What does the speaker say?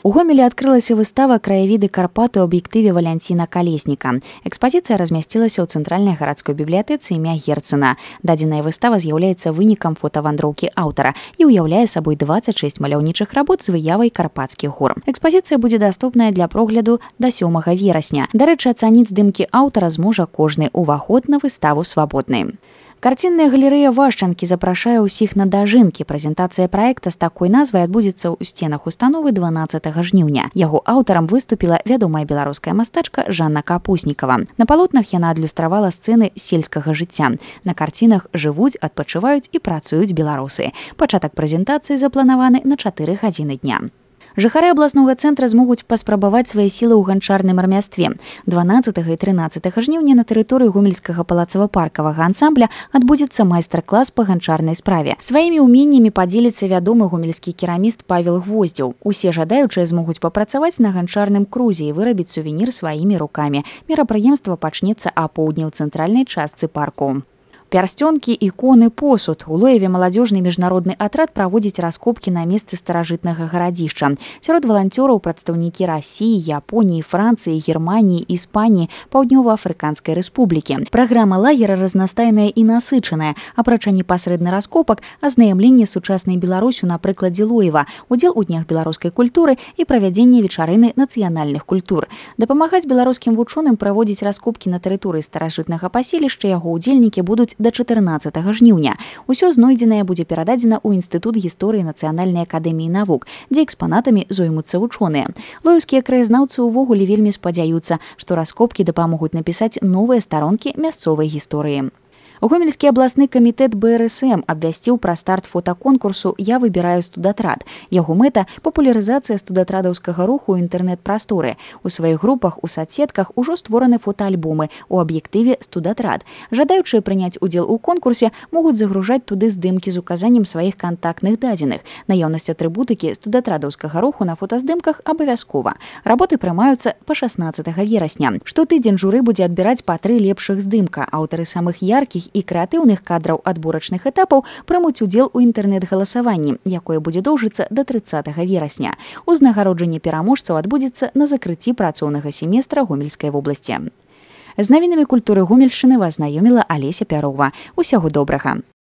У Гомелі адкрылася выстава «Краявіды Карпат» у аб'ектыве Валянціна Калесніка. Экспазіцыя размясцілася ў цэнтральнай гарадской бібліятэцы імя Герцена. Дадзеная выстава з'яўляецца вынікам фотавандроўкі аўтара і ўяўляе сабой 26 маляўнічых работ з выявай карпатскіх гор. Экспазіцыя будзе даступная для прогляду да 7 верасня. Дарэчы, ацаніць здымкі аўтара зможа кожны. Уваход на выставу свабодны. Карцінная галерэя Вашчанкі запрашае ўсіх на дажынкі. Прэзентацыя праекта з такой назвай адбудзецца ў сценах установы 12 жніўня. Яго аўтарам выступіла вядомая беларуская мастачка Жанна Капуснікава. На палотнах яна адлюстравала сцэны сельскага жыцця. На карцінах жывуць, адпачываюць і працуюць беларусы. Пачатак прэзентацыі запланаваны на 4 гадзіны дня. Жыхары абласнога цэнтра змогуць паспрабаваць свае сілы ў ганчарным рамястве. 12 і 13 жніўня на тэрыторыі гомельскага палацава-паркавага ансамбля адбудзецца майстар-клас па ганчарнай справе. Сваімі ўменнямі падзеліцца вядомы гомельскі кераміст Павел Гвоздзеў. Усе жадаючыя змогуць папрацаваць на ганчарным крузе і вырабіць сувенір сваімі рукамі. Мерапрыемства пачнецца апоўдні ў цэнтральнай частцы парку. Пярсцёнкі, іконы, посуд. У Лоеве маладзёжны міжнародны атрад праводзіць раскопкі на месцы старажытнага гарадзішча. Сярод валанцёраў прадстаўнікі Расіі, Японіі, Францыі, Германіі, Іспаніі, Паўднёва-Афрыканскай рэспублікі. Праграма лагера разнастайная і насычаная. Апрача непасрэдна раскопак, азнаямленне з сучаснай Беларусю на прыкладзе Лоева, удзел у днях беларускай культуры і правядзенне вечарыны нацыянальных культур. Дапамагаць беларускім вучоным праводзіць раскопкі на тэрыторыі старажытнага паселішча яго ўдзельнікі будуць да 14 жніўня. Усё знойдзенае будзе перададзена ў Інстытут гісторыі Нацыянальнай акадэміі навук, дзе экспанатамі зоймуцца вучоныя. Лоеўскія краязнаўцы ўвогуле вельмі спадзяюцца, што раскопкі дапамогуць напісаць новыя старонкі мясцовай гісторыі. Гомельскі абласны камітэт БРСМ абвясціў пра старт фотаконкурсу «Я выбіраю студатрад». Яго мэта – папулярызацыя студатрадаўскага руху ў інтэрнэт-прасторы. У сваіх групах у садсетках ужо створаны фотаальбомы у аб'ектыве «Студатрад». Жадаючыя прыняць удзел у конкурсе могуць загружаць туды здымкі з указаннем сваіх кантактных дадзеных. Наяўнасць атрыбутыкі студатрадаўскага руху на фотаздымках абавязкова. Работы прымаюцца па 16 верасня. Штотыдзень журы будзе адбіраць па 3 лепшых здымка. Аўтары самых яркіх і крэатыўных кадраў адборачных этапаў прымуць удзел у інтэрнэт-галасаванні, якое будзе доўжыцца да 30 верасня. Узнагароджанне пераможцаў адбудзецца на закрыцці працоўнага семестра Гомельскай вобласці. З навінамі культуры Гомельшчыны вас знаёміла Алеся Пярова. Усяго добрага.